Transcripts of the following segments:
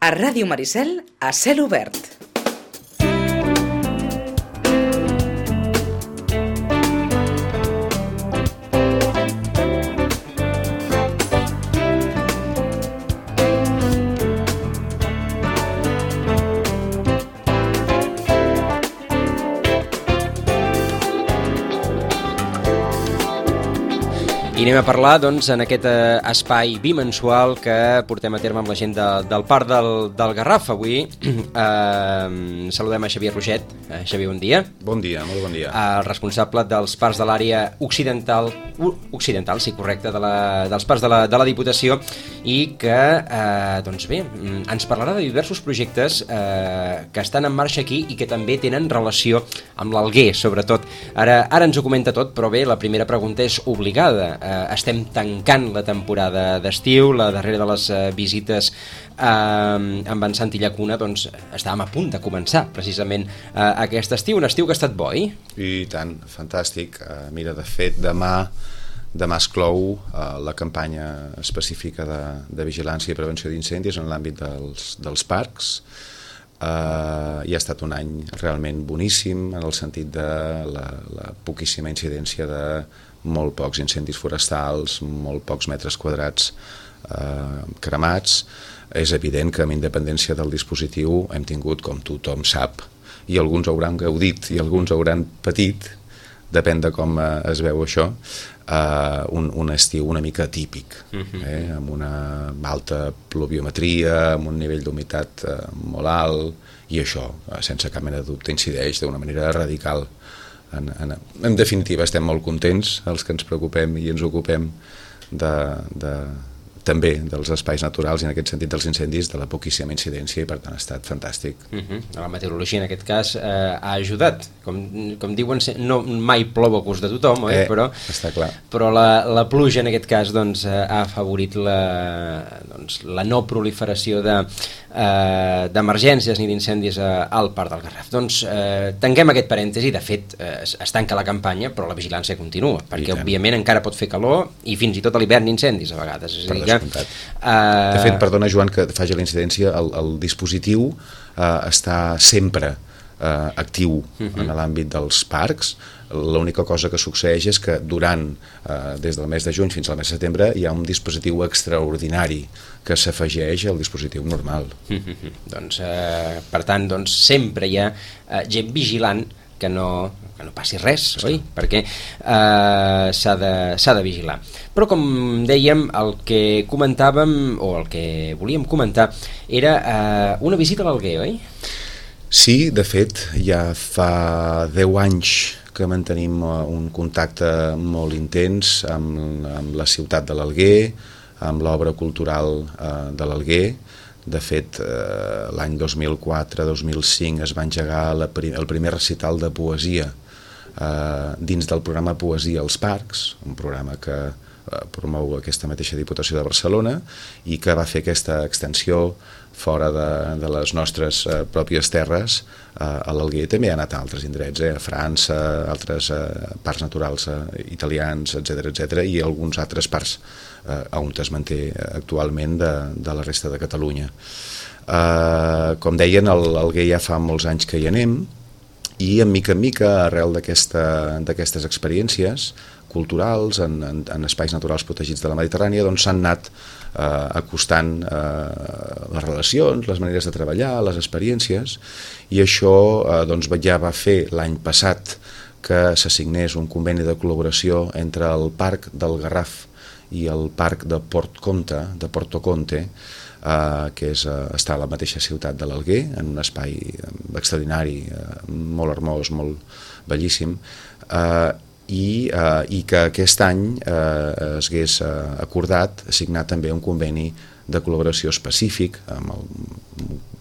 A Ràdio Maricel, a cel obert. I anem a parlar, doncs, en aquest espai bimensual que portem a terme amb la gent del Parc del Garraf. Avui saludem a Xavier Roget. Xavier, bon dia. Bon dia, molt bon dia. El responsable dels parcs de l'àrea occidental, sí, correcte, dels parcs de la Diputació, i que, doncs bé, ens parlarà de diversos projectes que estan en marxa aquí i que també tenen relació amb l'Alguer, sobretot. Ara ens ho comenta tot, però bé, la primera pregunta és obligada. Estem tancant la temporada d'estiu, la darrera de les visites amb en Santi Llacuna, doncs estàvem a punt de començar precisament aquest estiu, un estiu que ha estat bo, oi? I tant, fantàstic. Mira, de fet, demà es clou la campanya específica de vigilància i prevenció d'incendis en l'àmbit dels parcs. I ha estat un any realment boníssim en el sentit de la poquíssima incidència de molt pocs incendis forestals, molt pocs metres quadrats cremats. És evident que amb independència del dispositiu hem tingut, com tothom sap, i alguns hauran gaudit i alguns hauran patit, depèn de com es veu això, un estiu una mica atípic, amb una alta pluviometria, amb un nivell d'humitat molt alt, i això, sense cap mena de dubte, incideix d'una manera radical. En definitiva, estem molt contents, els que ens preocupem i ens ocupem també dels espais naturals i en aquest sentit dels incendis, de la poquíssima incidència, i per tant ha estat fantàstic. La meteorologia en aquest cas ha ajudat, com diuen, no mai plou a gust de tothom, oi? Està clar. Però la pluja en aquest cas doncs, ha afavorit la no proliferació d'emergències ni d'incendis al Parc del Garraf. Doncs tanquem aquest parèntesi. De fet es tanca la campanya, però la vigilància continua, perquè òbviament encara pot fer calor i fins i tot a l'hivern incendis a vegades. És a dir, de fet, perdona Joan que faci la incidència, el dispositiu està sempre actiu en l'àmbit dels parcs. L'única cosa que succeeix és que des del mes de juny fins al mes de setembre hi ha un dispositiu extraordinari que s'afegeix al dispositiu normal. Doncs, per tant, sempre hi ha gent vigilant que no passi res, oi? Perquè s'ha de vigilar. Però, com dèiem, el que comentàvem, o el que volíem comentar, era una visita a l'Alguer, oi? Sí, de fet, ja fa 10 anys que mantenim un contacte molt intens amb la ciutat de l'Alguer, amb l'obra cultural de l'Alguer. De fet, l'any 2004-2005 es va engegar el primer recital de poesia dins del programa Poesia als Parcs, un programa que promou aquesta mateixa Diputació de Barcelona i que va fer aquesta extensió fora de les nostres pròpies terres a l'Alguer. També ha anat a altres indrets, a França, altres parcs naturals italians, etc., i alguns altres parcs on es manté actualment de la resta de Catalunya. Com deien, a l'Alguer ja fa molts anys que hi anem, i en mica, arrel d'aquestes experiències culturals en espais naturals protegits de la Mediterrània, doncs s'han anat acostant les relacions, les maneres de treballar, les experiències, i això ja va fer l'any passat que s'assignés un conveni de col·laboració entre el Parc del Garraf i el Parc de Porto Conte, que està a la mateixa ciutat de l'Alguer, en un espai extraordinari, molt hermós, molt bellíssim, i que aquest any es hagués acordat signar també un conveni de col·laboració específic amb el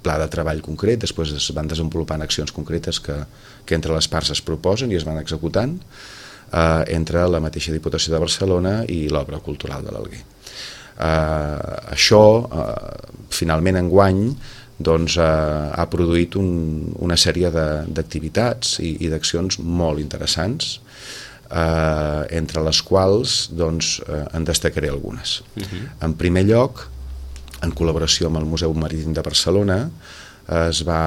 pla de treball concret. Després es van desenvolupant accions concretes que entre les parts es proposen i es van executant entre la mateixa Diputació de Barcelona i l'obra cultural de l'Alguer. Això finalment enguany ha produït una sèrie d'activitats i d'accions molt interessants, entre les quals en destacaré algunes. En primer lloc, en col·laboració amb el Museu Marítim de Barcelona, es va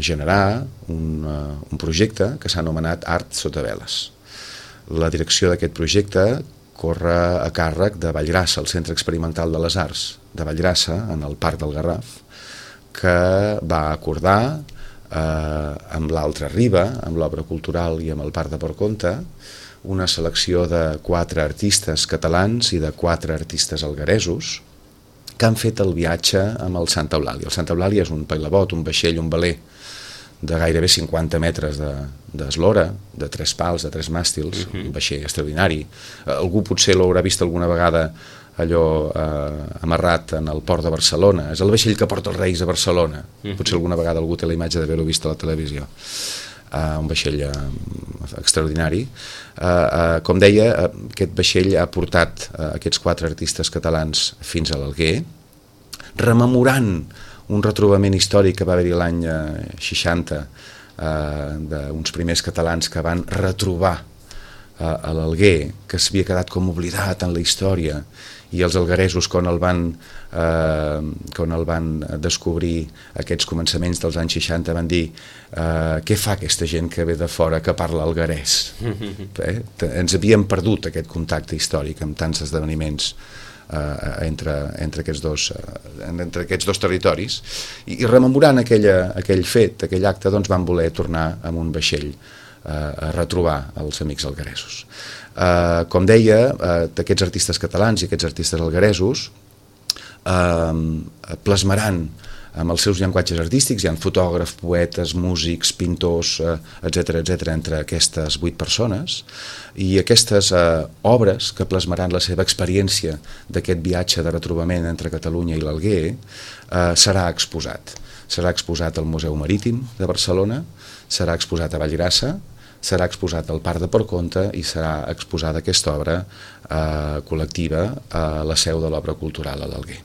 generar un projecte que s'ha anomenat Art sota veles. La direcció d'aquest projecte corre a càrrec de Vallgrassa, el Centre Experimental de les Arts de Vallgrassa, en el Parc del Garraf, que va acordar amb l'altra riba, amb l'Obra Cultural i amb el Parc de Portconte, una selecció de 4 artistes catalans i de 4 artistes algueresos que han fet el viatge amb el Santa Eulàlia. El Santa Eulàlia és un pailabot, un vaixell, un veler de gairebé 50 metres d'eslora, de 3 pals, de 3 màstils, un vaixell extraordinari. Algú potser l'haurà vist alguna vegada allò amarrat en el port de Barcelona. És el vaixell que porta els Reis a Barcelona. Potser alguna vegada algú té la imatge d'haver-ho vist a la televisió. Un vaixell extraordinari. Com deia, aquest vaixell ha portat aquests 4 artistes catalans fins a l'Alguer, rememorant un retrobament històric que va haver-hi l'any 60 d'uns primers catalans que van retrobar a l'Alguer, que s'havia quedat com oblidat en la història, i els algueresos quan el van descobrir aquests començaments dels anys 60 van dir què fa aquesta gent que ve de fora que parla alguerès? Ens havíem perdut aquest contacte històric amb tants esdeveniments entre aquests dos territoris, i rememorant aquell fet, aquell acte, doncs van voler tornar amb un vaixell a retrobar els amics algueresos. Com deia, d'aquests artistes catalans i aquests artistes algueresos plasmaran amb els seus llenguatges artístics, hi ha fotògrafs, poetes, músics, pintors, etc entre aquestes 8 persones, i aquestes obres que plasmaran la seva experiència d'aquest viatge de retrobament entre Catalunya i l'Alguer serà exposat. Serà exposat al Museu Marítim de Barcelona, serà exposat a Vallgrassa, serà exposat al Parc de Portconte i serà exposada aquesta obra col·lectiva a la seu de l'Obra Cultural a l'Alguer.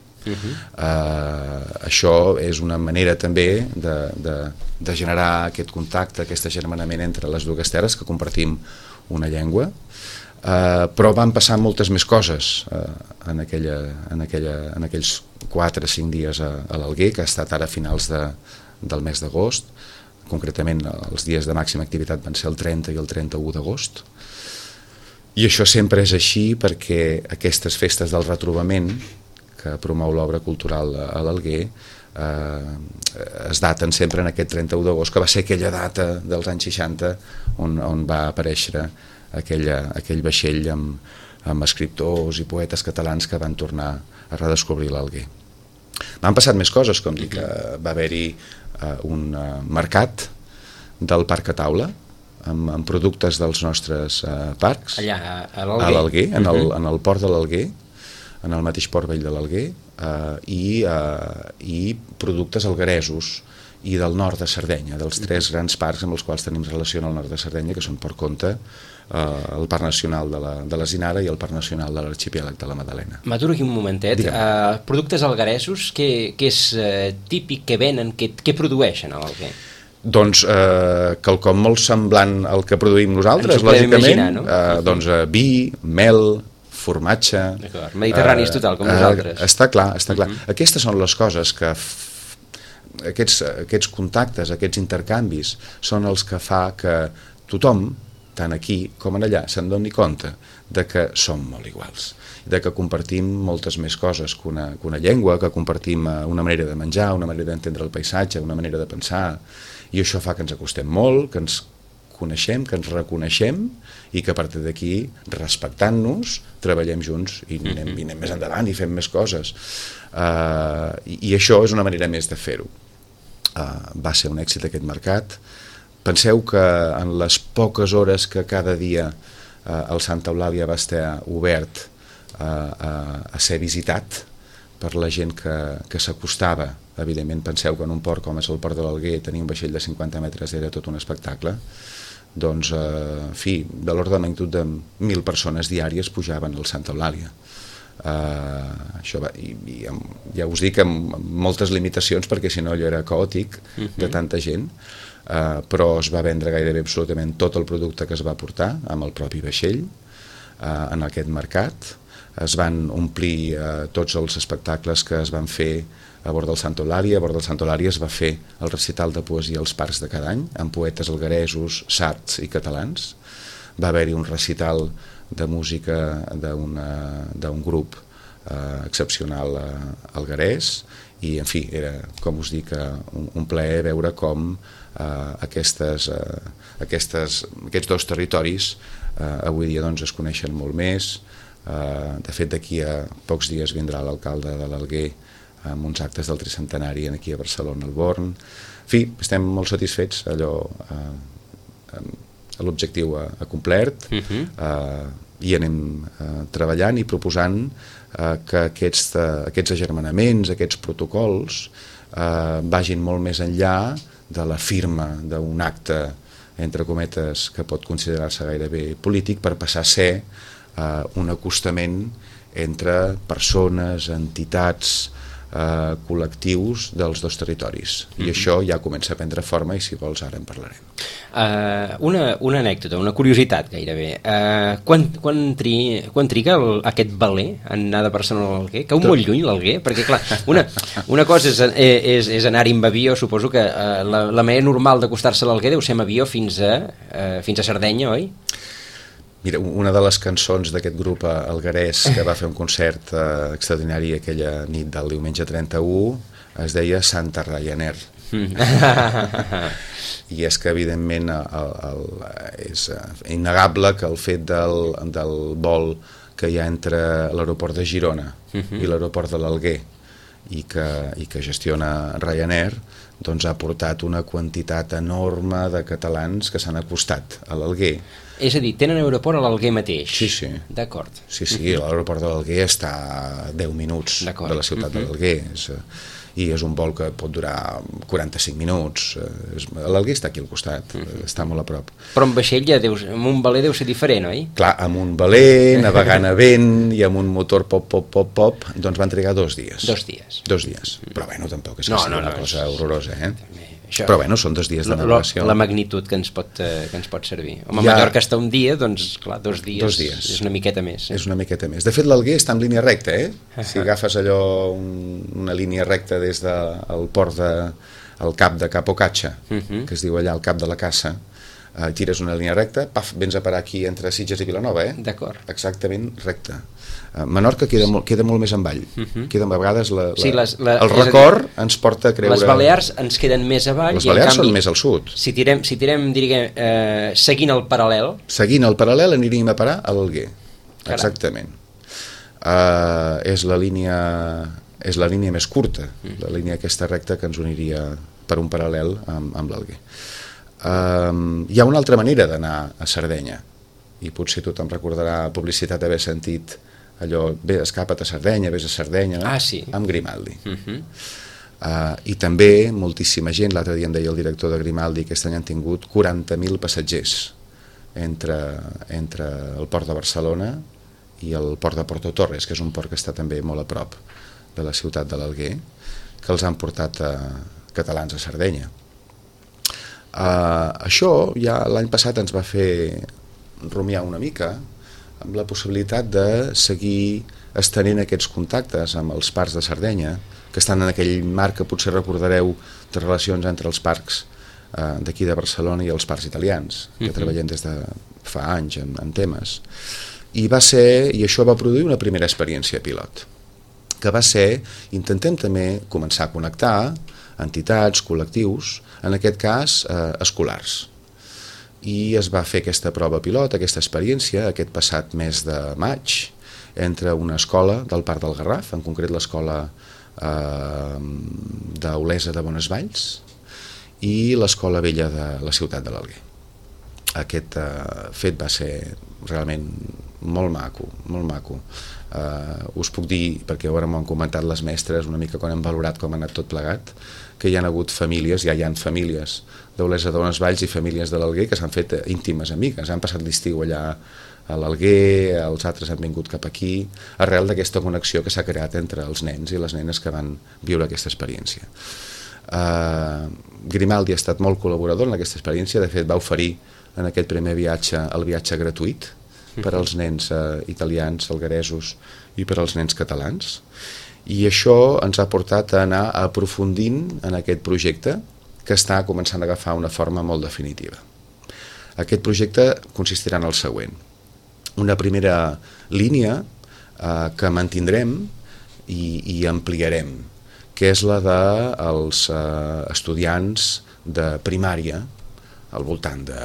Això és una manera també de generar aquest contacte, aquest agermanament entre les dues terres, que compartim una llengua, però van passar moltes més coses en aquells 4 o 5 dies a l'Alguer, que ha estat ara a finals del mes d'agost. Concretament els dies de màxima activitat van ser el 30 i el 31 d'agost, i això sempre és així perquè aquestes festes del retrobament que promou l'Obra Cultural a l'Alguer es daten sempre en aquest 31 d'agost, que va ser aquella data dels anys 60 on va aparèixer aquell vaixell amb escriptors i poetes catalans que van tornar a redescobrir l'Alguer. M'han passat més coses, com dir que va haver-hi un mercat del Parc a Taula amb productes dels nostres parcs allà a l'Alguer, en el port de l'Alguer, en el mateix port vell de l'Alguer, i productes algueresos i del nord de Sardenya, dels 3 grans parcs amb els quals tenim relació al nord de Sardenya, que són Portconte, el Parc Nacional de la Zinara i el Parc Nacional de l'Arxipèlag de la Madalena. M'aturo aquí un momentet. Productes algueresos, què és típic que venen, què produeixen a l'Alguer? Doncs quelcom molt semblant al que produïm nosaltres, lògicament. Doncs vi, mel, formatge... Mediterranis total, com nosaltres. Està clar. Aquestes són les coses que aquests contactes, aquests intercanvis són els que fa que tothom, tant aquí com en allà, se'n doni compte de que som molt iguals, de que compartim moltes més coses que una llengua, que compartim una manera de menjar, una manera d'entendre el paisatge, una manera de pensar, i això fa que ens acostem molt, que ens coneixem, que ens reconeixem, i que a partir d'aquí, respectant-nos, treballem junts i anem més endavant i fem més coses. I això és una manera més de fer-ho. Va ser un èxit aquest mercat. Penseu que en les poques hores que cada dia el Santa Eulàlia va estar obert a ser visitat per la gent que s'acostava, evidentment penseu que en un port com és el port de l'Alguer tenir un vaixell de 50 metres era tot un espectacle, doncs, en fi, de l'ordre de magnitud de 1.000 persones diàries pujaven al Santa Eulàlia. Això va, i ja us dic amb moltes limitacions perquè si no allò era caòtic de tanta gent, però es va vendre gairebé absolutament tot el producte que es va portar amb el propi vaixell en aquest mercat. es van omplir tots els espectacles que es van fer a bord del Santo Lària. A bord del Santo Lària es va fer el recital de poesia als parcs de cada any, amb poetes algueresos, sards i catalans. Va haver-hi un recital de música d'un grup excepcional alguerès, i en fi, era, com us dic, un plaer veure com aquests dos territoris avui dia doncs, es coneixen molt més. De fet, d'aquí a pocs dies vindrà l'alcalde de l'Alguer amb uns actes del tricentenari aquí a Barcelona, al Born. En fi, estem molt satisfets, l'objectiu ha complert, i anem treballant i proposant que aquests agermanaments, aquests protocols vagin molt més enllà de la firma d'un acte, entre cometes, que pot considerar-se gairebé polític, per passar a ser un acostament entre persones, entitats, col·lectius dels dos territoris. I això ja comença a prendre forma i, si vols, ara en parlarem. Una anècdota, una curiositat gairebé. Quan triga aquest veler en anar de Barcelona a l'Alguer? Cau molt lluny l'Alguer? Perquè, clar, una cosa és anar-hi amb avió. Suposo que la manera normal d'acostar-se a l'Alguer deu ser amb avió fins a Sardenya, oi? Mira, una de les cançons d'aquest grup alguerès que va fer un concert extraordinari aquella nit del diumenge 31 es deia Santa Ryanair. I és que, evidentment, és innegable que el fet del vol que hi ha entre l'aeroport de Girona i l'aeroport de l'Alguer i que gestiona Ryanair, doncs ha portat una quantitat enorme de catalans que s'han acostat a l'Alguer. És a dir, tenen aeroport a l'Alguer mateix? Sí. D'acord. Sí, l'aeroport de l'Alguer està a 10 minuts de la ciutat de l'Alguer. I és un vol que pot durar 45 minuts. L'Alguer està aquí al costat, està molt a prop. Però amb vaixell, amb un veler deu ser diferent, oi? Clar, amb un veler, navegant a vent i amb un motor pop, doncs van trigar 2 dies. 2 dies. 2 dies. Però bueno, tampoc és que sigui una cosa horrorosa, Això, però bueno, són 2 dies de navegació. La magnitud que ens pot servir. Home, a Mallorca està un dia, doncs clar, 2 dies. 2 dies. És una miqueta més. És una miqueta més. De fet, l'Alguer està en línia recta, Si agafes allò, una línia recta des del port al cap de Capocatxa, que es diu allà el cap de la Caça, tires una línia recta, paf, vens a parar aquí entre Sitges i Vilanova, D'acord. Exactament recta. Menorca queda molt més avall. Queda, a vegades el record ens porta a creure... Les Balears ens queden més avall. Les Balears són més al sud. Si tirem seguint el paral·lel... Seguint el paral·lel aniríem a parar a l'Alguer. Exactament. És la línia més curta, la línia aquesta recta que ens uniria per un paral·lel amb l'Alguer. Hi ha una altra manera d'anar a Sardenya, i potser tothom recordarà publicitat haver sentit allò, escapa't a Sardenya, vés a Sardenya, amb Grimaldi. I també moltíssima gent, l'altre dia em deia el director de Grimaldi, aquest any han tingut 40.000 passatgers entre el port de Barcelona i el port de Porto Torres, que és un port que està també molt a prop de la ciutat de l'Alguer, que els han portat catalans a Sardenya. Això ja l'any passat ens va fer rumiar una mica amb la possibilitat de seguir estenent aquests contactes amb els parcs de Sardenya, que estan en aquell marc que potser recordareu de relacions entre els parcs d'aquí de Barcelona i els parcs italians, que treballem des de fa anys en temes. I això va produir una primera experiència pilot, que va ser, intentem també començar a connectar entitats, col·lectius, en aquest cas escolars. I es va fer aquesta prova pilot, aquesta experiència, aquest passat mes de maig, entre una escola del Parc del Garraf, en concret l'escola d'Olesa de Bonesvalls, i l'escola vella de la ciutat de l'Alguer. Aquest fet va ser realment molt maco, molt maco. Us puc dir, perquè ara m'ho han comentat les mestres una mica quan hem valorat com ha anat tot plegat, que hi ha hagut famílies, ja hi ha famílies d'Olesa de Bonesvalls i famílies de l'Alguer que s'han fet íntimes amigues, han passat l'estiu allà a l'Alguer, els altres han vingut cap aquí, arrel d'aquesta connexió que s'ha creat entre els nens i les nenes que van viure aquesta experiència. Grimaldi ha estat molt col·laborador en aquesta experiència, de fet va oferir en aquest primer viatge el viatge gratuït per als nens italians, algueresos i per als nens catalans. I això ens ha portat a anar aprofundint en aquest projecte que està començant a agafar una forma molt definitiva. Aquest projecte consistirà en el següent. Una primera línia que mantindrem i ampliarem, que és la dels estudiants de primària, al voltant de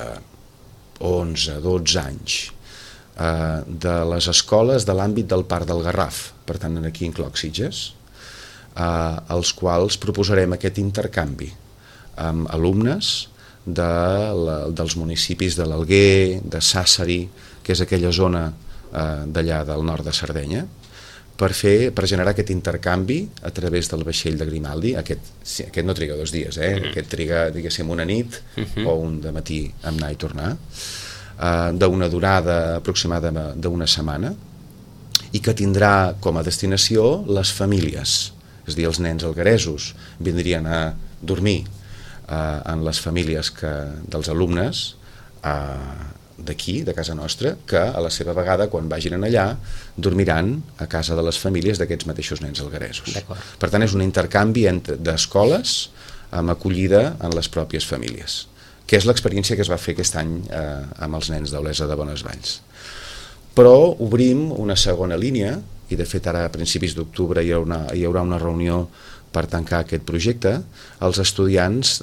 11-12 anys, de les escoles de l'àmbit del Parc del Garraf, per tant aquí incloc Sitges, als quals proposarem aquest intercanvi amb alumnes dels municipis de l'Alguer, de Sàssari, que és aquella zona d'allà del nord de Sardenya, per generar aquest intercanvi a través del vaixell de Grimaldi. Aquest no triga 2 dies, aquest triga, diguéssim, una nit o un dematí amb anar i tornar, d'una durada aproximada d'una setmana, i que tindrà com a destinació les famílies, és a dir, els nens algueresos vindrien a dormir en les famílies dels alumnes d'aquí, de casa nostra, que a la seva vegada, quan vagin allà, dormiran a casa de les famílies d'aquests mateixos nens algueresos. Per tant, és un intercanvi d'escoles amb acollida en les pròpies famílies, que és l'experiència que es va fer aquest any amb els nens d'Olesa de Bonesvalls. Però obrim una segona línia, i de fet ara a principis d'octubre hi haurà una reunió per tancar aquest projecte, als estudiants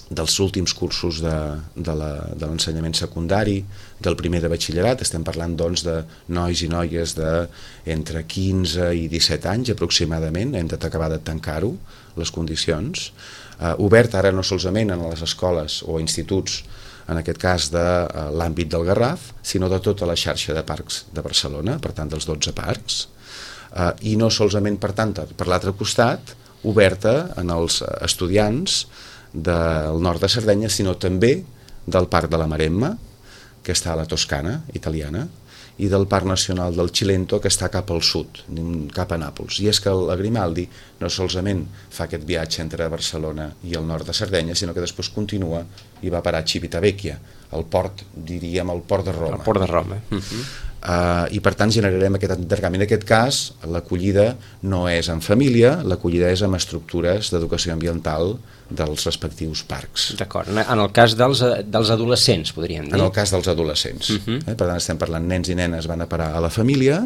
dels últims cursos de l'ensenyament secundari, del primer de batxillerat. Estem parlant doncs de nois i noies d'entre 15 i 17 anys aproximadament, hem d'acabar de tancar-ho, les condicions, obert ara no solament en les escoles o instituts, en aquest cas de l'àmbit del Garraf, sinó de tota la xarxa de parcs de Barcelona, per tant dels 12 parcs, i no solament, per tant, per l'altre costat, oberta en els estudiants del nord de Sardenya, sinó també del Parc de la Maremma, que està a la Toscana italiana, i del Parc Nacional del Cilento, que està cap al sud, cap a Nàpols. I és que la Grimaldi no solament fa aquest viatge entre Barcelona i el nord de Sardenya, sinó que després continua i va parar a Civitavecchia, el port, diríem, el port de Roma. El port de Roma. I per tant generarem aquest intercanvi. En aquest cas, l'acollida no és en família, l'acollida és amb estructures d'educació ambiental dels respectius parcs. D'acord. En el cas dels adolescents, podríem dir. En el cas dels adolescents. Per tant, estem parlant nens i nenes van a parar a la família,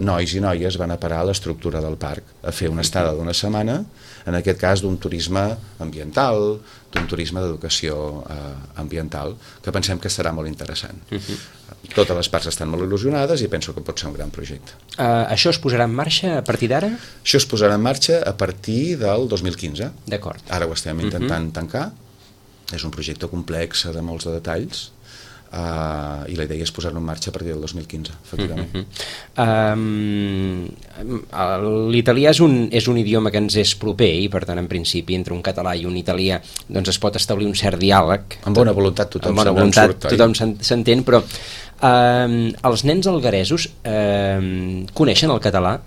nois i noies van a parar a l'estructura del parc, a fer una estada d'una setmana, en aquest cas d'un turisme ambiental, d'un turisme d'educació ambiental, que pensem que serà molt interessant. Totes les parts estan molt il·lusionades i penso que pot ser un gran projecte. Això es posarà en marxa a partir d'ara? Això es posarà en marxa a partir del 2015. D'acord. Ara ho estem intentant tancar. És un projecte complex de molts de detalls, i la idea és posar-lo en marxa a partir del 2015, efectivament. L'italià és un idioma que ens és proper i per tant en principi entre un català i un italià doncs es pot establir un cert diàleg. Amb bona voluntat tothom s'entén, però els nens algueresos coneixen el català?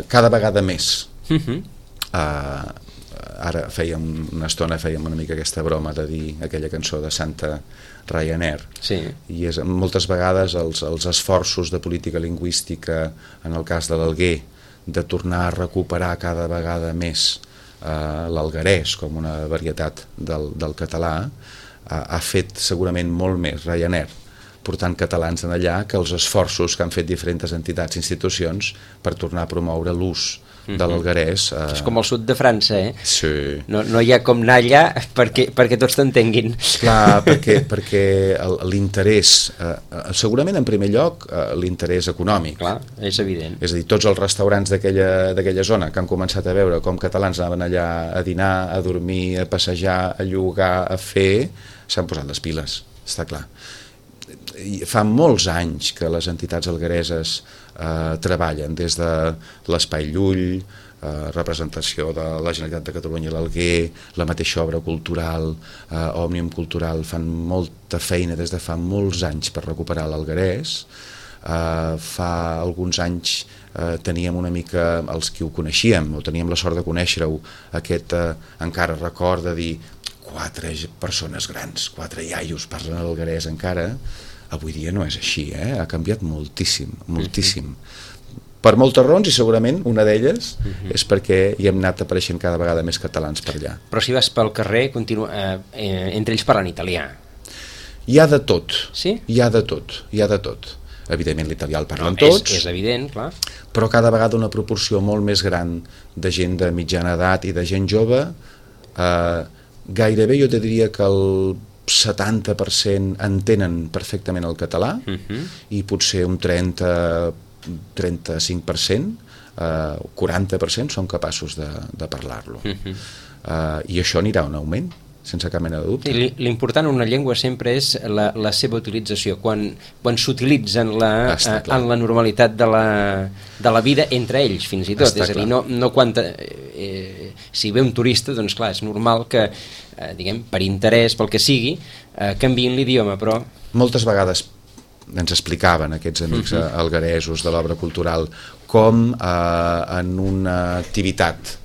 Cada vegada més. Ara una estona fèiem una mica aquesta broma de dir aquella cançó de Santa Ryanair, i moltes vegades els esforços de política lingüística en el cas de l'Alguer de tornar a recuperar cada vegada més l'alguerès com una varietat del català ha fet segurament molt més Ryanair portant catalans en allà que els esforços que han fet diferents entitats i institucions per tornar a promoure l'ús de l'alguerès. És com al sud de França, Sí. No hi ha com anar allà perquè tots t'entenguin. Clar, perquè l'interès, segurament en primer lloc l'interès econòmic. Clar, és evident. És a dir, tots els restaurants d'aquella zona que han començat a veure com catalans anaven allà a dinar, a dormir, a passejar, a llogar, a fer, s'han posat les piles, està clar. Fa molts anys que les entitats alguereses treballen des de l'Espai Llull, representació de la Generalitat de Catalunya a l'Alguer, la mateixa obra cultural, Òmnium Cultural, fan molta feina des de fa molts anys per recuperar l'alguerès. Fa alguns anys teníem una mica, els que ho coneixíem, o teníem la sort de conèixer-ho, aquest encara record de dir 4 persones grans, 4 iaios parlen alguerès encara. Avui dia no és així, ha canviat moltíssim, moltíssim. Per moltes raons, i segurament una d'elles és perquè hi hem anat apareixent cada vegada més catalans per allà. Però si vas pel carrer, entre ells parlen italià. Hi ha de tot. Sí? Hi ha de tot. Evidentment l'italià el parlen tots. És evident, clar. Però cada vegada una proporció molt més gran de gent de mitjana edat i de gent jove. Gairebé jo te diria que el 70% entenen perfectament el català i potser un 35%, 40% són capaços de parlar-lo. I això anirà en augment, sense cap mena de dubte. L'important en una llengua sempre és la seva utilització, quan s'utilitza en la normalitat de la vida entre ells, fins i tot. És a dir, no quan si ve un turista, doncs clar, és normal que, diguem, per interès, pel que sigui, canviïn l'idioma, però... Moltes vegades ens explicaven aquests amics algueresos de l'obra cultural com en una activitat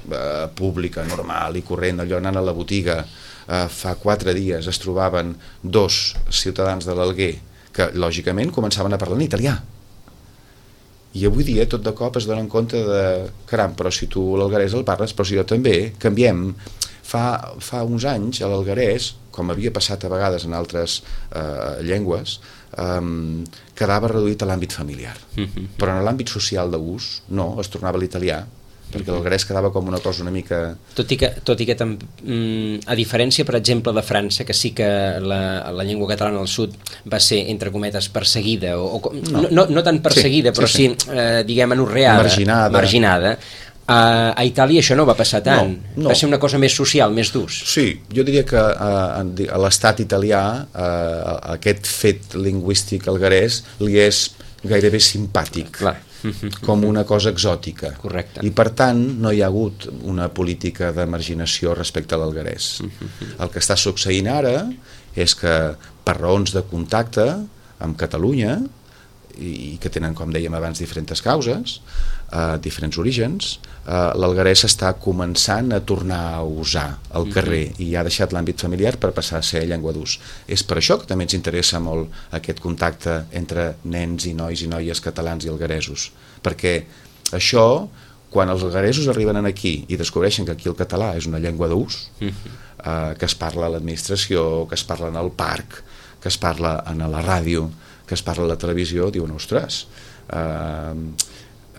pública, normal i corrent, allò anant a la botiga, fa 4 dies es trobaven 2 ciutadans de l'Alguer que lògicament començaven a parlar en italià, i avui dia tot de cop es donen compte de caram, però si tu l'alguerès el parles, però si jo també, canviem. Fa uns anys a l'alguerès, com havia passat a vegades en altres llengües, quedava reduït a l'àmbit familiar, però en l'àmbit social d'ús no, es tornava a l'italià, perquè l'alguerès quedava com una cosa una mica... Tot i que a diferència, per exemple, de França, que sí que la llengua catalana al sud va ser, entre cometes, perseguida, no tan perseguida, però sí, diguem, anorreada, marginada. A Itàlia això no va passar tant, va ser una cosa més social, més d'ús. Sí, jo diria que a l'estat italià aquest fet lingüístic alguerès li és gairebé simpàtic. Clar. Com una cosa exòtica. Correcte. I per tant no hi ha hagut una política de marginació respecte a l'alguerès. El que està succeint ara és que per raons de contacte amb Catalunya, i que tenen, com dèiem abans, diferents causes, diferents orígens, l'alguerès està començant a tornar a usar el carrer i ha deixat l'àmbit familiar per passar a ser llengua d'ús. És per això que també ens interessa molt aquest contacte entre nens i nois i noies catalans i algueresos, perquè això, quan els algueresos arriben aquí i descobreixen que aquí el català és una llengua d'ús, que es parla a l'administració, que es parla en el parc, que es parla a la ràdio, que es parla a la televisió, diuen, ostres,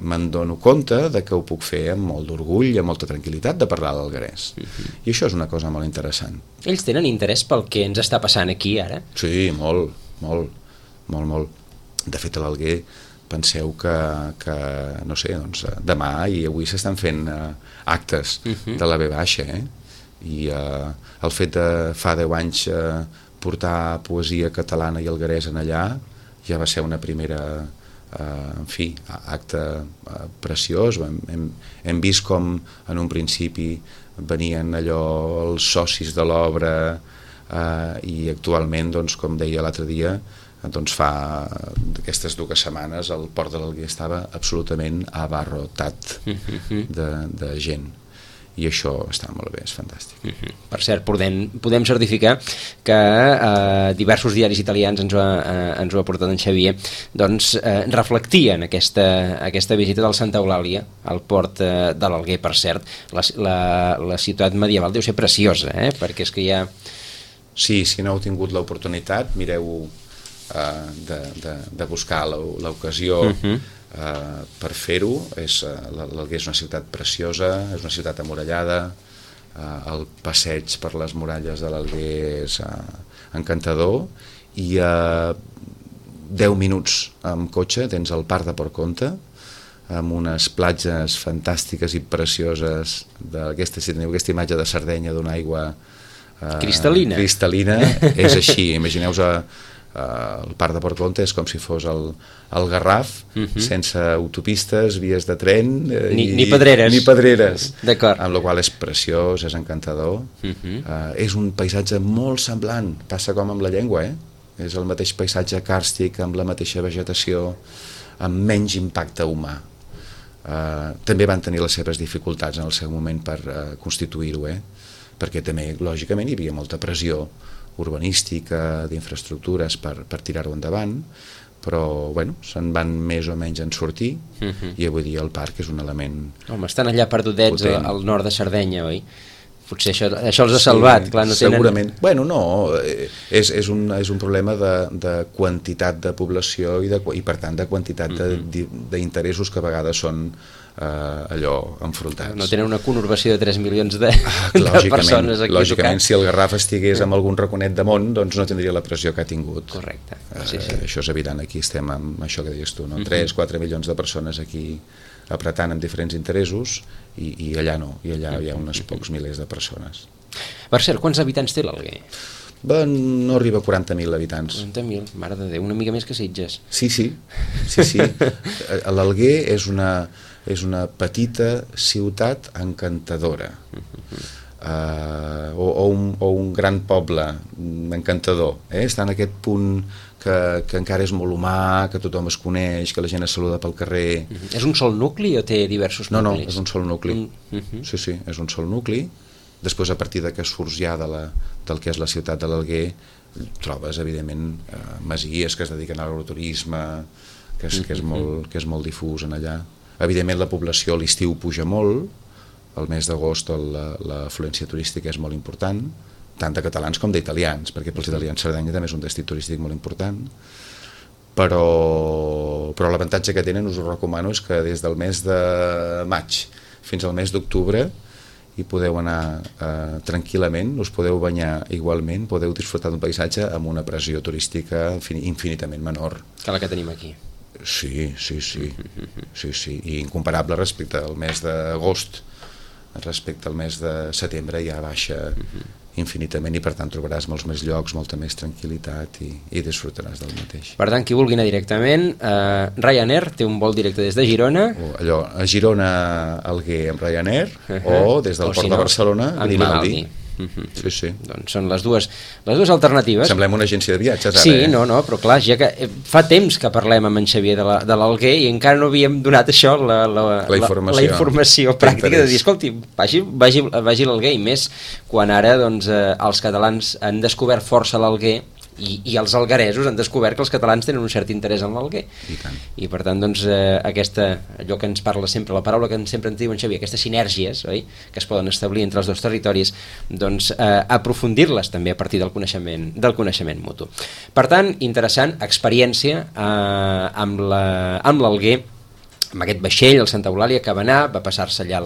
me'n dono compte de que ho puc fer amb molt d'orgull i amb molta tranquil·litat de parlar l'alguerès. I això és una cosa molt interessant. Ells tenen interès pel que ens està passant aquí ara? Sí, molt. De fet, a l'Alguer penseu que no sé, doncs, demà i avui s'estan fent actes de la V baixa, i el fet de fa 10 anys portar poesia catalana i alguerès en allà ja va ser una primera acte preciós. Hem vist com en un principi venien allò els socis de l'obra i actualment, doncs, com deia l'altre dia, doncs fa aquestes 2 setmanes el port de l'Alguer estava absolutament abarrotat de gent. I això està molt bé, és fantàstic. Per cert, podem certificar que diversos diaris italians ens ho ha portat en Xavier, doncs reflectien aquesta visita del Santa Eulàlia al port de l'Alguer. Per cert, la ciutat medieval deu ser preciosa, perquè és que hi ha... Sí, si no heu tingut l'oportunitat, mireu de buscar l'ocasió per fer-ho. L'Alguer és una ciutat preciosa, és una ciutat amurallada, el passeig per les muralles de l'Alguer és encantador, i a 10 minuts amb cotxe tens el parc de Port Comte, amb unes platges fantàstiques i precioses d'aquesta, si teniu aquesta imatge de Sardenya d'una aigua cristal·lina, és així. Imagineu-vos el parc de Port Comte és com si fos el Garraf, sense autopistes, vies de tren ni pedreres. Amb la qual és preciós, és encantador. És un paisatge molt semblant, passa com amb la llengua, és el mateix paisatge càrstic, amb la mateixa vegetació, amb menys impacte humà. També van tenir les seves dificultats en el seu moment per constituir-ho, perquè també, lògicament, hi havia molta pressió urbanística, d'infraestructures per tirar-ho endavant, però bueno, se'n van més o menys en sortir i avui dia el parc és un element Home, estan allà perdudets potent. al nord de Sardenya, oi? Potser això els ha salvat, clar, no tenen... Segurament, bueno, no, és un problema de quantitat de població i per tant de quantitat d'interessos que a vegades són allò enfrontats. No tenen una conurbació de 3 milions de Lògicament, persones aquí lògicament si el Garraf estigués amb algun raconet de món, doncs no tindria la pressió que ha tingut. Correcte. Això és evident, aquí estem amb això que deies tu, no? 3-4 milions de persones aquí apretant amb diferents interessos i allà no, i allà hi ha uns pocs milers de persones. Per cert, quants habitants té l'Alguer? No arriba a 40.000 habitants. 40.000, mare de Déu, una mica més que Sitges. Sí. L'Alguer és una petita ciutat encantadora. O un gran poble encantador. Està en aquest punt que encara és molt humà, que tothom es coneix, que la gent es saluda pel carrer. És un sol nucli o té diversos nuclis? No, és un sol nucli. Sí, és un sol nucli. Després, a partir que surts ja del que és la ciutat de l'Alguer, trobes, evidentment, masies que es dediquen a l'agroturisme, que és molt difús en allà. Evidentment, la població a l'estiu puja molt, al mes d'agost l'afluència turística és molt important, tant de catalans com d'italians, perquè pels italians Sardenya també és un destí turístic molt important, però l'avantatge que tenen, us ho recomano, és que des del mes de maig fins al mes d'octubre hi podeu anar tranquil·lament, us podeu banyar igualment, podeu disfrutar d'un paisatge amb una pressió turística infinitament menor. Que la que tenim aquí. Sí, i incomparable respecte al mes d'agost, respecte al mes de setembre ja baixa infinitament i per tant trobaràs molts més llocs, molta més tranquil·litat i disfrutaràs del mateix. Per tant, qui vulgui anar directament, Ryanair té un vol directe des de Girona. A Girona, Alguer amb Ryanair, o des del port de Barcelona amb Grimaldi. Sí. Doncs són les dues alternatives. Semblem una agència de viatges ara. Sí, no, però clar, ja que fa temps que parlem amb en Xavier de l'Alguer i encara no havíem donat això, la informació pràctica de dir, escolti, vagi a l'Alguer, i més quan ara doncs, els catalans han descobert força l'Alguer i els algueresos han descobert que els catalans tenen un cert interès en l'Alguer. I per tant, doncs, allò que ens parla sempre, la paraula que sempre ens diu en Xavier, aquestes sinergies, oi?, que es poden establir entre els dos territoris, doncs aprofundir-les també a partir del coneixement mutu. Per tant, interessant, experiència amb l'Alguer, amb aquest vaixell, el Santa Eulàlia, que va anar, va passar-se allà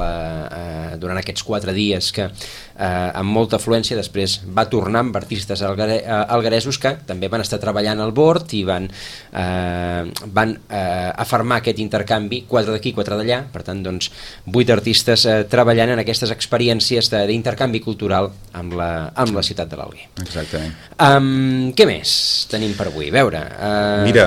durant aquests 4 dies que amb molta afluència, després va tornar amb artistes algueresos que també van estar treballant al bord i van afermar aquest intercanvi, 4 d'aquí, 4 d'allà, per tant, doncs, 8 artistes treballant en aquestes experiències d'intercanvi cultural amb la ciutat de l'Alguer. Exactament. Què més tenim per avui? A veure... Mira,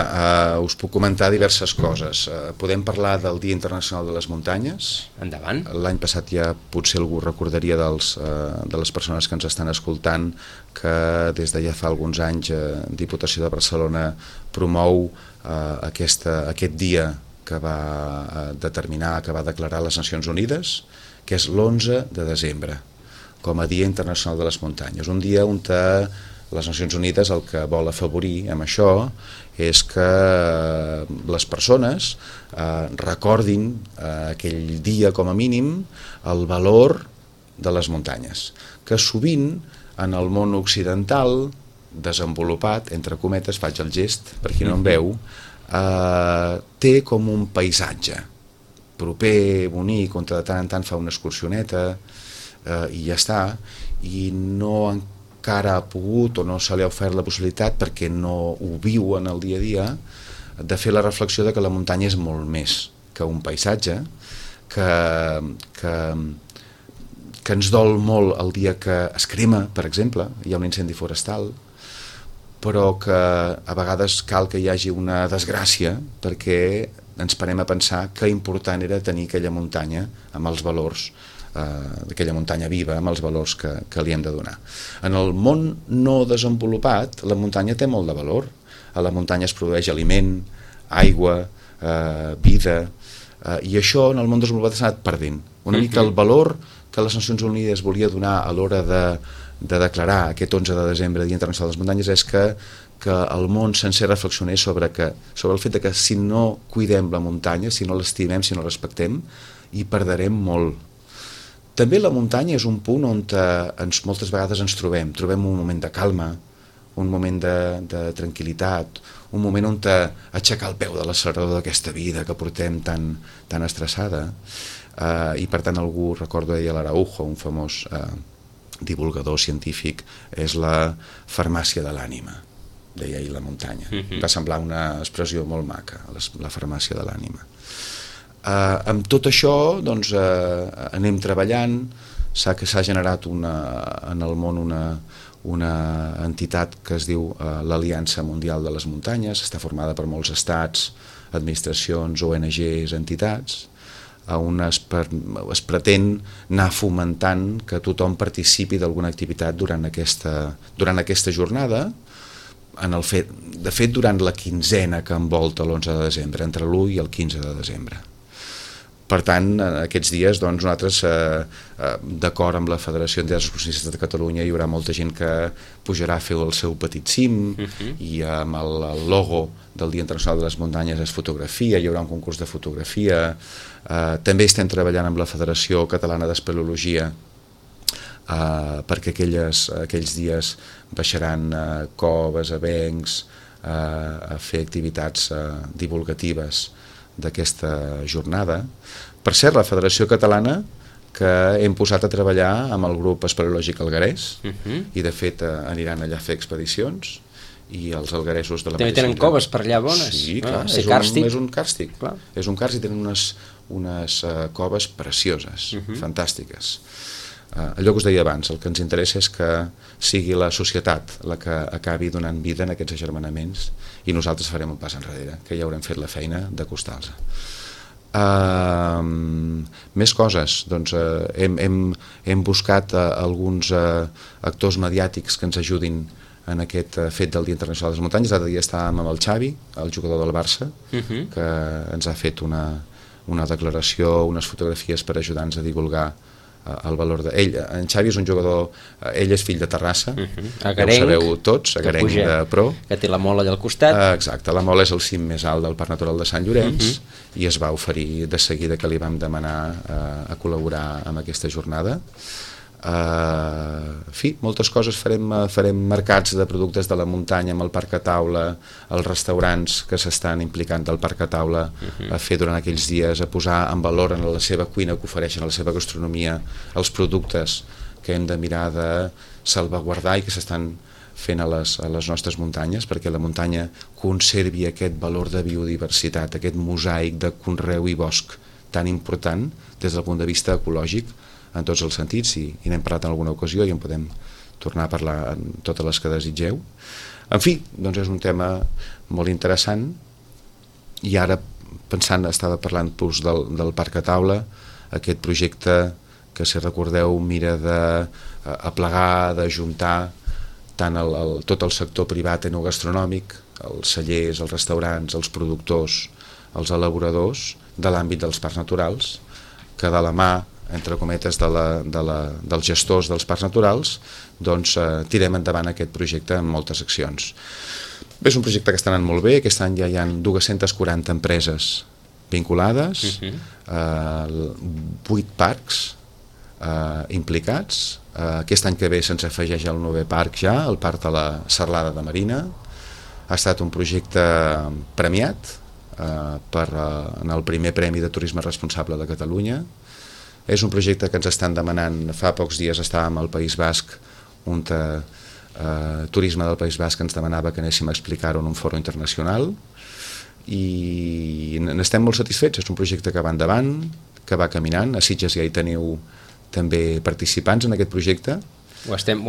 us puc comentar diverses coses. Podem parlar del Dia Internacional de les Muntanyes. Endavant. L'any passat ja potser algú recordaria de les persones que ens estan escoltant que des de ja fa alguns anys Diputació de Barcelona promou aquest dia que va determinar, que va declarar les Nacions Unides, que és l'11 de desembre, com a Dia Internacional de les Muntanyes. Un dia on les Nacions Unides el que vol afavorir amb això és que les persones recordin aquell dia com a mínim el valor de les muntanyes, que sovint en el món occidental desenvolupat, entre cometes, faig el gest per qui no em veu, té com un paisatge proper, bonic, on de tant en tant fa una excursioneta i ja està, i no encara ha pogut o no se li ha ofert la possibilitat, perquè no ho viu en el dia a dia, de fer la reflexió de que la muntanya és molt més que un paisatge, que ens dol molt el dia que es crema, per exemple, hi ha un incendi forestal, però que a vegades cal que hi hagi una desgràcia perquè ens parem a pensar que important era tenir aquella muntanya amb els valors, d'aquella muntanya viva amb els valors que li hem de donar. En el món no desenvolupat, la muntanya té molt de valor. A la muntanya es produeix aliment, aigua, vida, i això en el món desenvolupat s'ha anat perdent. Una mica el valor que les Nacions Unides volia donar a l'hora de declarar aquest 11 de desembre Dia Internacional de les Muntanyes és que el món sencer reflexionés sobre el fet que si no cuidem la muntanya, si no l'estimem, si no la respectem, hi perdrem molt. També la muntanya és un punt on moltes vegades ens trobem un moment de calma, un moment de tranquil·litat, un moment on aixecar el peu de l'accelerador d'aquesta vida que portem tan estressada, i per tant algú, recordo deia l'Araujo, un famós divulgador científic, és la farmàcia de l'ànima, deia ell la muntanya. Va semblar una expressió molt maca, la farmàcia de l'ànima. Amb tot això doncs, anem treballant, s'ha generat en el món una entitat que es diu l'Aliança Mundial de les Muntanyes, està formada per molts estats, administracions, ONGs, entitats, on es pretén anar fomentant que tothom participi d'alguna activitat durant aquesta jornada, de fet durant la quinzena que envolta l'11 de desembre, entre l'1 i el 15 de desembre. Per tant, aquests dies, doncs, nosaltres, d'acord amb la Federació d'Excursionistes de Catalunya, hi haurà molta gent que pujarà a fer el seu petit cim, i amb el logo del Dia Internacional de les Muntanyes es fotografia, hi haurà un concurs de fotografia. També estem treballant amb la Federació Catalana d'Espeleologia, perquè aquells dies baixaran coves, avencs, a fer activitats divulgatives d'aquesta jornada. Per cert, la Federació Catalana, que hem posat a treballar amb el grup espeleològic alguerès, i de fet aniran allà a fer expedicions, i els algueresos de la mateixa... També tenen coves per allà bones. Sí, clar, és un càrstic. És un càrstic, tenen unes coves precioses, fantàstiques. Allò que us deia abans, el que ens interessa és que sigui la societat la que acabi donant vida en aquests agermanaments, i nosaltres farem un pas enrere, que ja haurem fet la feina d'acostar-los. Més coses, doncs hem buscat alguns actors mediàtics que ens ajudin en aquest fet del Dia Internacional de les Muntanyes. L'altre dia estàvem amb el Xavi, el jugador del Barça, que ens ha fet una declaració, unes fotografies per ajudar-nos a divulgar el valor d'ell. En Xavi és un jugador, ell és fill de Terrassa, ja ho sabeu tots, agarenc de pro, que té la Mola allà al costat. Exacte, la Mola és el cim més alt del Parc Natural de Sant Llorenç, i es va oferir de seguida que li vam demanar a col·laborar amb aquesta jornada. En fi, moltes coses farem mercats de productes de la muntanya amb el Parc a Taula, els restaurants que s'estan implicant del Parc a Taula a fer durant aquells dies, a posar en valor en la seva cuina que ofereixen, a la seva gastronomia, els productes que hem de mirar de salvaguardar i que s'estan fent a les nostres muntanyes, perquè la muntanya conservi aquest valor de biodiversitat, aquest mosaic de conreu i bosc tan important des del punt de vista ecològic en tots els sentits, i n'hem parlat en alguna ocasió i en podem tornar a parlar en totes les que desitgeu. En fi, doncs és un tema molt interessant, i ara estava parlant del Parc a Taula, aquest projecte que, si recordeu, mira d'aplegar, d'ajuntar tant tot el sector privat enogastronòmic, els cellers, els restaurants, els productors, els elaboradors de l'àmbit dels parcs naturals, que de la mà, entre cometes, dels gestors dels parcs naturals, doncs tirem endavant aquest projecte amb moltes accions. És un projecte que està anant molt bé. Aquest any ja hi ha 240 empreses vinculades, 8 parcs implicats. Aquest any que ve se'ns afegeix el 9è parc ja, el parc de la Serlada de Marina. Ha estat un projecte premiat en el primer Premi de Turisme Responsable de Catalunya. És un projecte que ens estan demanant. Fa pocs dies estàvem al País Basc, on Turisme del País Basc ens demanava que anéssim a explicar-ho en un foro internacional, i n'estem molt satisfets. És un projecte que va endavant, que va caminant. A Sitges ja hi teniu també participants en aquest projecte. Ho estem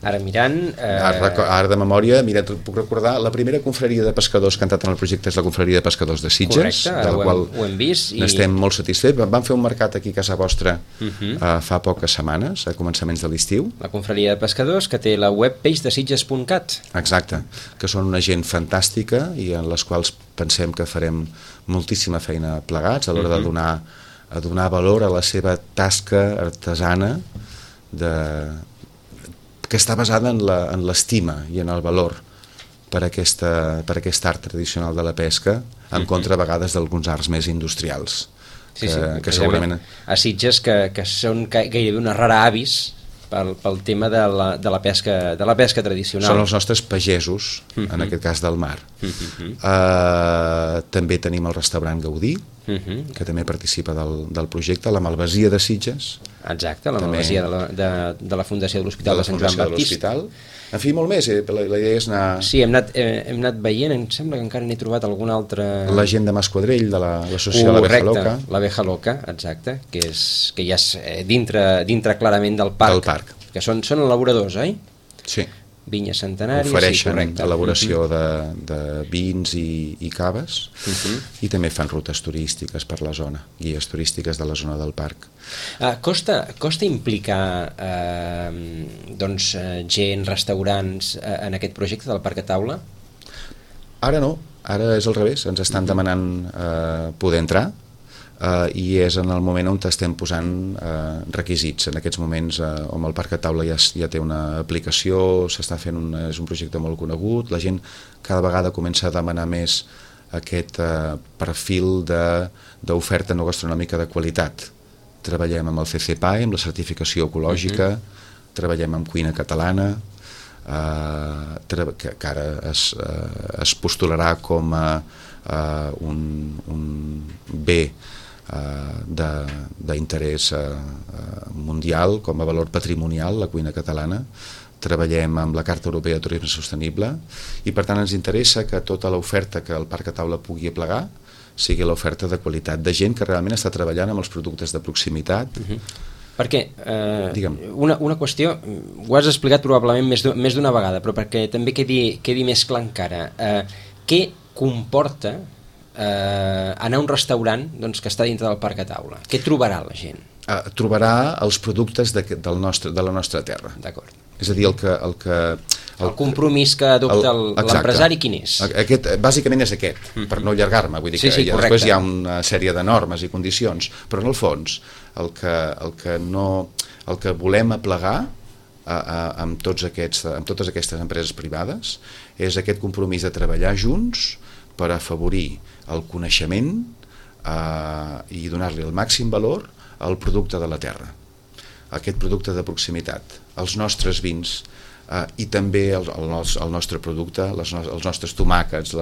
ara mirant. Ara de memòria, mira, puc recordar, la primera confraria de pescadors que ha entrat en el projecte és la confraria de pescadors de Sitges. Correcte, de la qual ho hem vist. N'estem molt satisfets. Vam fer un mercat aquí a casa vostra fa poques setmanes, a començaments de l'estiu. La confraria de pescadors, que té la web peixdesitges.cat. Exacte, que són una gent fantàstica i en les quals pensem que farem moltíssima feina plegats a l'hora de donar a donar valor a la seva tasca artesana que està basada en l'estima i en el valor per aquest art tradicional de la pesca, en contra a vegades d'alguns arts més industrials. Que segurament a Sitges que són gairebé una rara avis pel tema de la pesca tradicional. Són els nostres pagesos, en aquest cas del mar. També tenim el restaurant Gaudí, que també participa del projecte, la Malvasia de Sitges. Exacte, la Malvasia de la Fundació de l'Hospital de Sant Joan Baptista. En fi, molt més, la idea és anar... Sí, hem anat veient, em sembla que encara n'he trobat algun altre... La gent de Masquadrell, de l'associació de l'Abeja Loca. L'Abeja Loca, exacte, que ja és dintre clarament del parc. Que són elaboradors, oi? Sí. Vinya centenària, ofereixen elaboració de vins i caves, i també fan rutes turístiques per la zona, guies turístiques de la zona del parc. Costa implicar gent, restaurants en aquest projecte del Parc a Taula? Ara no, ara és al revés, ens estan demanant poder entrar, i és en el moment on estem posant requisits. En aquests moments on el Parc a Taula ja té una aplicació, s'està fent és un projecte molt conegut, la gent cada vegada comença a demanar més aquest perfil d'oferta no gastronòmica de qualitat. Treballem amb el CCPAE, amb la certificació ecològica, treballem amb cuina catalana, que ara es postularà com a un bé d'interès mundial, com a valor patrimonial, la cuina catalana. Treballem amb la Carta Europea de Turisme Sostenible i per tant ens interessa que tota l'oferta que el Parc a Taula pugui aplegar sigui l'oferta de qualitat, de gent que realment està treballant amb els productes de proximitat. Perquè una qüestió, ho has explicat probablement més d'una vegada, però perquè també quedi més clar encara, què comporta anar a un restaurant que està dintre del Parc a Taula? Què trobarà la gent? Trobarà els productes de la nostra terra. D'acord. És a dir, el compromís que adopta l'empresari, quin és? Bàsicament és aquest, per no allargar-me, vull dir que després hi ha una sèrie de normes i condicions, però en el fons el que volem aplegar amb totes aquestes empreses privades és aquest compromís de treballar junts per afavorir el coneixement i donar-li el màxim valor al producte de la terra, aquest producte de proximitat, els nostres vins i també el nostre producte, els nostres tomàquets,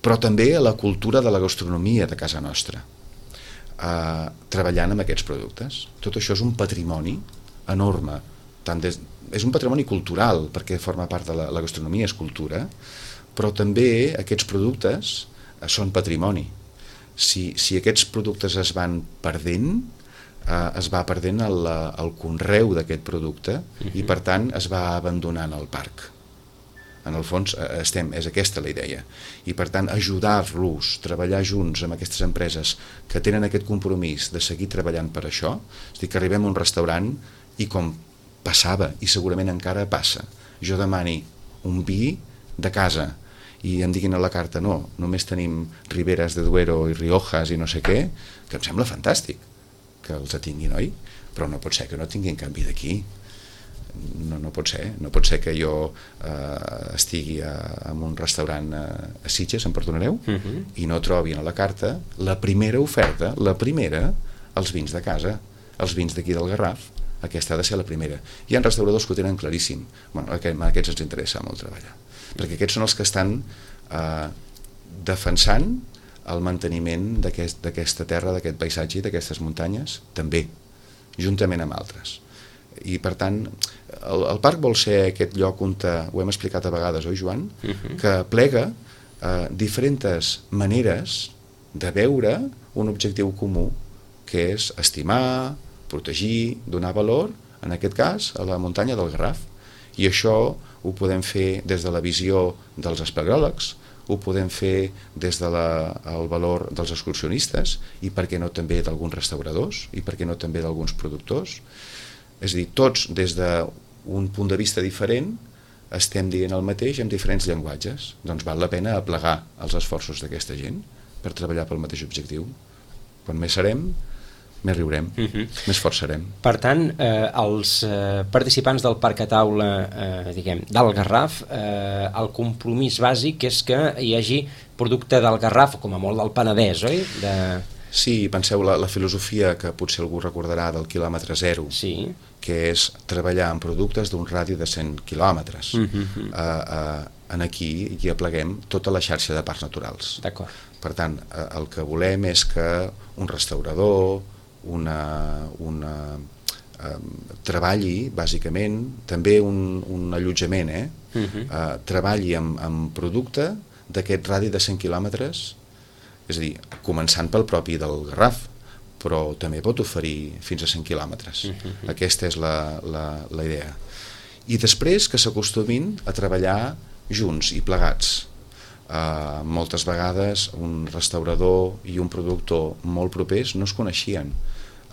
però també la cultura de la gastronomia de casa nostra, treballant amb aquests productes. Tot això és un patrimoni enorme, és un patrimoni cultural, perquè forma part de la gastronomia, és cultura, però també aquests productes són patrimoni. Si aquests productes es van perdent, es va perdent el conreu d'aquest producte i per tant es va abandonant el parc. En el fons és aquesta la idea, i per tant ajudar-los, treballar junts amb aquestes empreses que tenen aquest compromís de seguir treballant per això. És a dir, que arribem a un restaurant i com passava i segurament encara passa, jo demani un vi de casa i em diguin a la carta no, només tenim Riberas de Duero i Riojas i no sé què, que em sembla fantàstic que els tinguin, oi? Però no pot ser que no tinguin canvi d'aquí. No pot ser que jo estigui en un restaurant a Sitges, em perdonareu, i no trobi a la carta la primera oferta, els vins de casa, els vins d'aquí del Garraf. Aquesta ha de ser la primera. Hi ha restauradors que ho tenen claríssim. Aquests ens interessa molt treballar, perquè aquests són els que estan defensant el manteniment d'aquesta terra, d'aquest paisatge i d'aquestes muntanyes, també, juntament amb altres. I per tant, el parc vol ser aquest lloc on, ho hem explicat a vegades, oi Joan? Que plega diferents maneres de veure un objectiu comú, que és estimar, protegir, donar valor, en aquest cas, a la muntanya del Garraf. I això ho podem fer des de la visió dels espeleòlegs, ho podem fer des del valor dels excursionistes i per què no també d'alguns restauradors i per què no també d'alguns productors. És a dir, tots des d'un punt de vista diferent estem dient el mateix amb diferents llenguatges. Doncs val la pena aplegar els esforços d'aquesta gent per treballar pel mateix objectiu. Quan més serem, més riurem, més forts serem. Per tant, els participants del Parc a Taula, diguem, del Garraf, el compromís bàsic és que hi hagi producte del Garraf, com a molt del Penedès, oi? Sí, penseu la filosofia que potser algú recordarà del quilòmetre zero, sí, que és treballar en productes d'un radi de 100 quilòmetres. En aquí hi apleguem tota la xarxa de parcs naturals. D'acord. Per tant, el que volem és que un restaurador, treballi, bàsicament, també un allotjament, treballi amb producte d'aquest radi de 100 quilòmetres, és a dir, començant pel propi del Garraf, però també pot oferir fins a 100 quilòmetres. Aquesta és la idea. I després que s'acostumin a treballar junts i plegats. Moltes vegades un restaurador i un productor molt propers no es coneixien.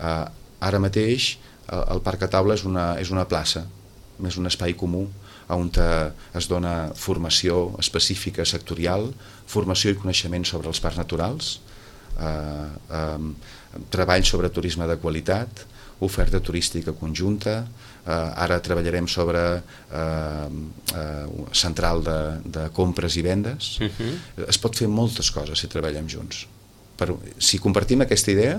Ara mateix el Parc a Taula és una plaça, és un espai comú on es dona formació específica sectorial, formació i coneixement sobre els parcs naturals, treball sobre turisme de qualitat, oferta turística conjunta, ara treballarem sobre central de compres i vendes. Es pot fer moltes coses si treballem junts. Si compartim aquesta idea,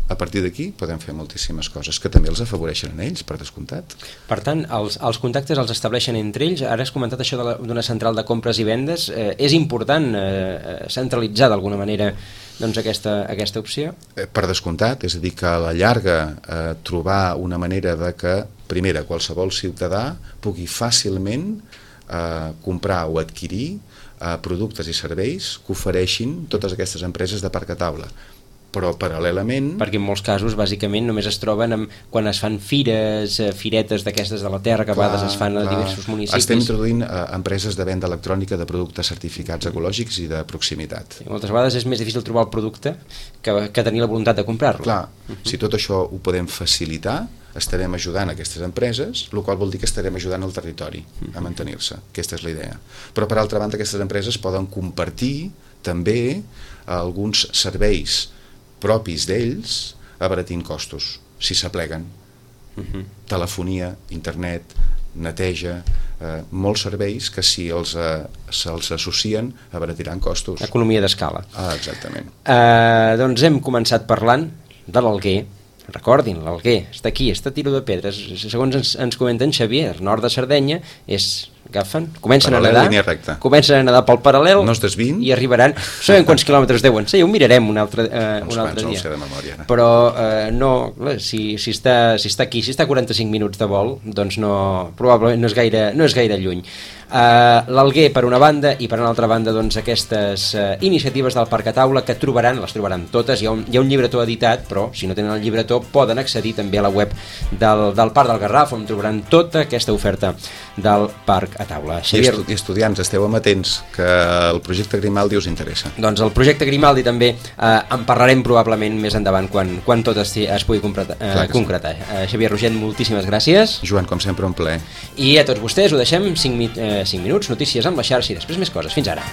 a partir d'aquí podem fer moltíssimes coses que també els afavoreixen a ells, per descomptat. Per tant, els contactes els estableixen entre ells. Ara has comentat això d'una central de compres i vendes. És important centralitzar d'alguna manera doncs, aquesta opció? Per descomptat, és a dir, que a la llarga trobar una manera de que, primera, qualsevol ciutadà pugui fàcilment comprar o adquirir productes i serveis que ofereixin totes aquestes empreses de Parc a Taula. Però paral·lelament... Perquè en molts casos, bàsicament, només es troben quan es fan firetes d'aquestes de la terra, que a vegades es fan a diversos municipis. Estem introduint empreses de venda electrònica de productes certificats ecològics i de proximitat. I moltes vegades és més difícil trobar el producte que tenir la voluntat de comprar-lo. Clar, si tot això ho podem facilitar, estarem ajudant aquestes empreses, el qual vol dir que estarem ajudant el territori a mantenir-se. Aquesta és la idea. Però, per altra banda, aquestes empreses poden compartir també alguns serveis propis d'ells abaratint costos, si s'apleguen. Telefonia, internet, neteja, molts serveis que si se'ls associen abaratiran costos. Economia d'escala. Exactament. Doncs hem començat parlant de l'Alguer. Recordin, l'Alguer està aquí, està a tiro de pedres. Segons ens comenta en Xavier, nord de Sardenya, comencen a nedar pel paral·lel, no es desviïn, i arribaran, sabem quants quilòmetres deuen ser, ho mirarem un altre dia, de memòria, però no, si està aquí, si està a 45 minuts de vol, doncs probablement no és gaire lluny. L'Alguer per una banda, i per una altra banda doncs aquestes iniciatives del Parc a Taula que les trobaran totes. Hi ha un llibretó editat, però si no tenen el llibretó poden accedir també a la web del Parc del Garraf, on trobaran tota aquesta oferta del Parc a Taula. Xavier... I estudiants, esteu amatents, que el projecte Grimaldi us interessa. Doncs el projecte Grimaldi també en parlarem probablement més endavant quan tot es pugui concretar. Xavier Rogent, moltíssimes gràcies. Joan, com sempre, un plaer. I a tots vostès ho deixem 5 minuts, notícies amb la xarxa i després més coses. Fins ara.